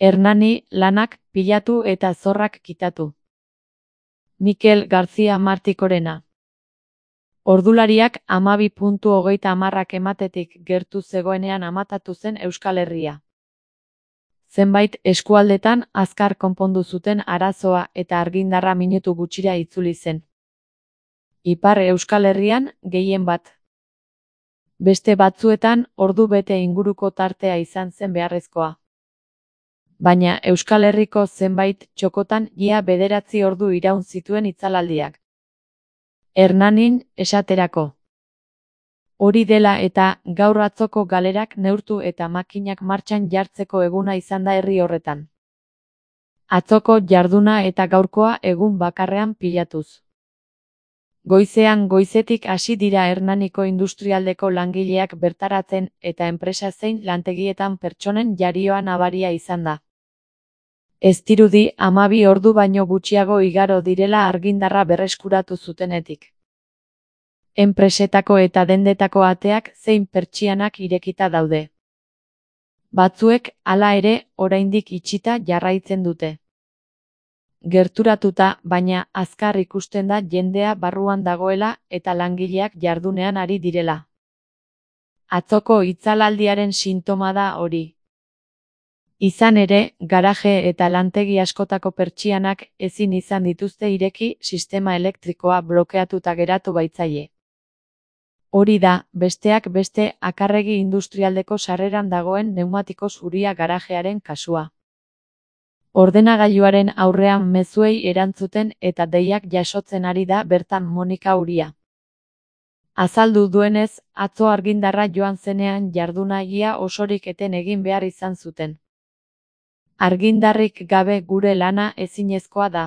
Hernani lanak pilatu eta zorrak kitatu. Mikel García Martikorena. Ordulariak 12:30 ematetik gertu zegoenean amatatu zen Euskal Herria. Zenbait eskualdetan azkar konpondu zuten arazoa eta argindarra minutu gutxira itzuli zen. Ipar Euskal Herrian gehien bat. Beste batzuetan ordu bete inguruko tartea izan zen beharrezkoa. Baina Euskal Herriko zenbait txokotan ia 9 ordu iraun zituen itzalaldiak. Hernanin esaterako. Hori dela eta gaur atzoko galerak neurtu eta makinak martxan jartzeko eguna izan da herri horretan. Atzoko jarduna eta gaurkoa egun bakarrean pilatuz. Goizean goizetik hasi dira Hernaniko industrialdeko langileak bertaratzen eta enpresa zein lantegietan pertsonen jarioa nabaria izan da. Ez dirudi 12 ordu baino gutxiago igaro direla argindarra berreskuratu zutenetik. Enpresetako eta dendetako ateak zein pertsianak irekita daude. Batzuek, hala ere, oraindik itxita jarraitzen dute. Gerturatuta, baina azkar ikusten da jendea barruan dagoela eta langileak jardunean ari direla. Atzoko itzalaldiaren sintoma da hori. Izan ere, garaje eta lantegi askotako pertsianak ezin izan dituzte ireki sistema elektrikoa blokeatuta geratu baitzaie. Hori da, besteak beste Akarregi industrialdeko sarreran dagoen pneumatiko zuria garajearen kasua. Ordenagailuaren aurrean mezuei erantzuten eta deiak jasotzen ari da bertan Monika Uria. Azaldu duenez, atzo argindarra joan zenean jardunagia osorik eten egin behar izan zuten. Argindarrik gabe gure lana ezinezkoa da.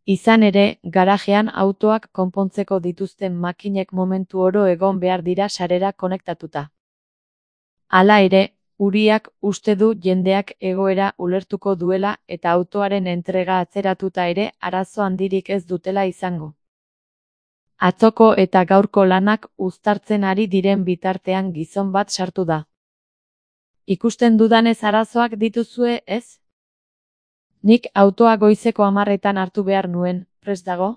Izan ere, garajean autoak konpontzeko dituzten makinek momentu oro egon behar dira sarera konektatuta. Hala ere, Uriak uste du jendeak egoera ulertuko duela eta autoaren entrega atzeratuta ere arazo handirik ez dutela izango. Atzoko eta gaurko lanak uztartzen ari diren bitartean gizon bat sartu da. Ikusten dudanez arazoak dituzue, ez? Nik autoa goizeko 10 hartu behar nuen, prest dago?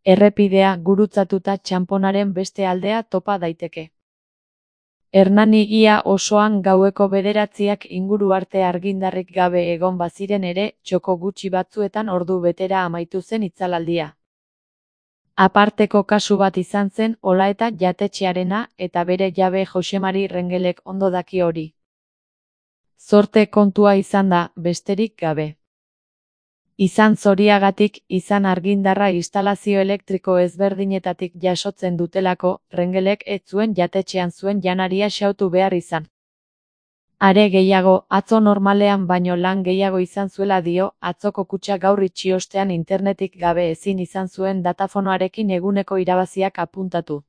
Errepidea gurutzatuta txanponaren beste aldea topa daiteke. Hernani ia osoan gaueko 9 inguru arte argindarrik gabe egon baziren ere, txoko gutxi batzuetan ordu betera amaitu zen itzalaldia. Aparteko kasu bat izan zen Olaeta jatetxearena eta bere jabe Josemari Rengelek ondo daki hori. Zorte kontua izan da, besterik gabe. Izan zoriagatik, izan argindarra instalazio elektriko ezberdinetatik jasotzen dutelako, Rengelek ez zuen jatetxean zuen janaria xautu behar izan. Are gehiago, atzo normalean baino lan gehiago izan zuela dio, atzoko kutxa gaur itxi ostean internetik gabe ezin izan zuen datafonoarekin eguneko irabaziak apuntatu.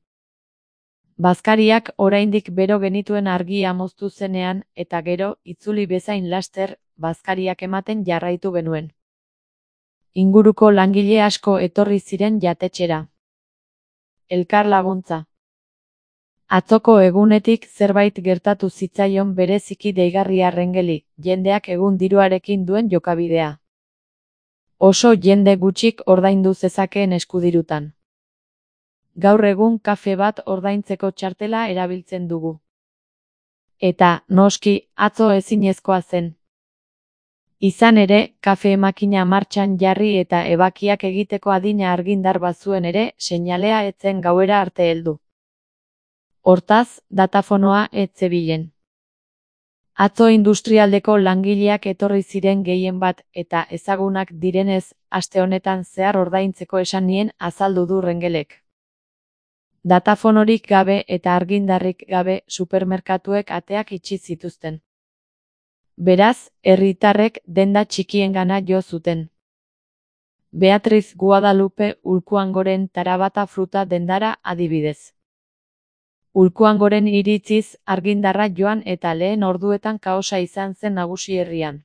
Bazkariak oraindik bero genituen argia moztu zenean, eta gero, itzuli bezain laster, bazkariak ematen jarraitu genuen. Inguruko langile asko etorri ziren jatetxera. Elkar laguntza. Atzoko egunetik zerbait gertatu zitzaion bereziki deigarria Rengeli, jendeak egun diruarekin duen jokabidea. Oso jende gutxik ordaindu zezakeen eskudirutan. Gaur egun kafe bat ordaintzeko txartela erabiltzen dugu. Eta, noski, atzo ezinezkoa zen. Izan ere, kafe makina martxan jarri eta ebakiak egiteko adina argindar bazuen ere, seinalea ez zen gauera arte heldu. Hortaz, datafonoa ez zebilen. Atzo industrialdeko langileak etorri ziren gehien bat eta ezagunak direnez, aste honetan zehar ordaintzeko esan nien azaldu du Rengelek. Datafonorik gabe eta argindarrik gabe supermerkatuek ateak itxi zituzten. Beraz, herritarrek denda txikiengana jo zuten. Beatriz Guadalupe Ulkuangoren Tarabata fruta dendara adibidez. Ulkuangoren iritziz, argindarra joan eta lehen orduetan kaosa izan zen nagusi herrian.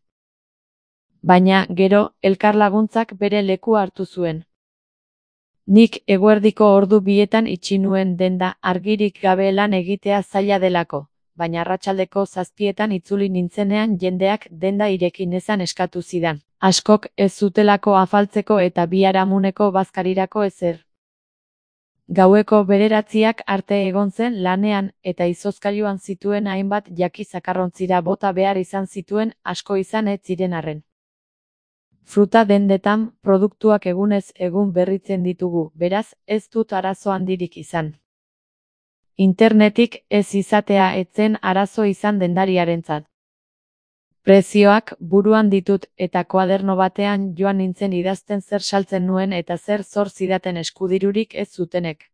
Baina, gero, elkarlaguntzak bere lekua hartu zuen. Nik eguerdiko ordu 2etan itxi nuen denda argirik gabe lan egitea zaila delako, baina arratsaldeko 7etan itzuli nintzenean jendeak denda ireki nezan eskatu zidan. Askok ez zutelako afaltzeko eta biharamuneko bazkarirako ezer. Gaueko 9 arte egon zen lanean eta izozkailuan zituen hainbat jaki zakarrontzira bota behar izan zituen asko izan ez ziren arren. Fruta dendetan produktuak egunez egun berritzen ditugu, beraz ez dut arazo handirik izan. Internetik ez izatea ez zen arazo izan dendariarentzat. Prezioak buruan ditut eta koaderno batean joan nintzen idazten zer saltzen nuen eta zer zor zidaten eskudirurik ez zutenek.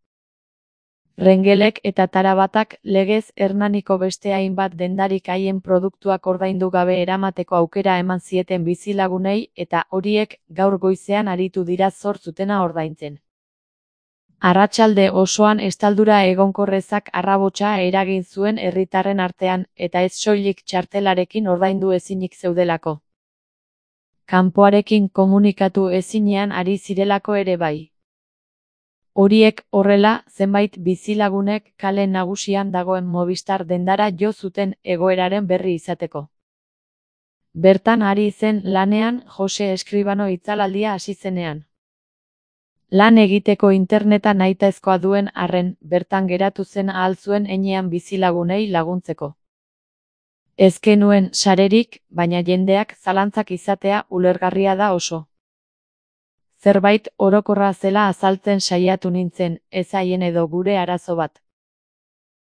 Rengelek eta Tarabatak legez Hernaniko beste hainbat dendarik haien produktuak ordaindu gabe eramateko aukera eman zieten bizilagunei eta horiek gaur goizean aritu dira zor zutena ordaintzen. Arratsalde osoan estaldura egonkorrezak arrabotsa eragin zuen herritarren artean eta ez soilik txartelarekin ordaindu ezinik zeudelako. Kanpoarekin komunikatu ezinean ari zirelako ere bai. Horiek horrela, zenbait bizilagunek kale nagusian dagoen Movistar dendara jo zuten egoeraren berri izateko. Bertan ari zen lanean Jose Eskribano itzalaldia hasi zenean. Lan egiteko interneta nahitaezkoa duen arren, bertan geratu zen ahal zuen heinean bizilagunei laguntzeko. Ez genuen sarerik, baina jendeak zalantzak izatea ulergarria da oso. Zerbait orokorra zela azaltzen saiatu nintzen, ez haien edo gure arazo bat.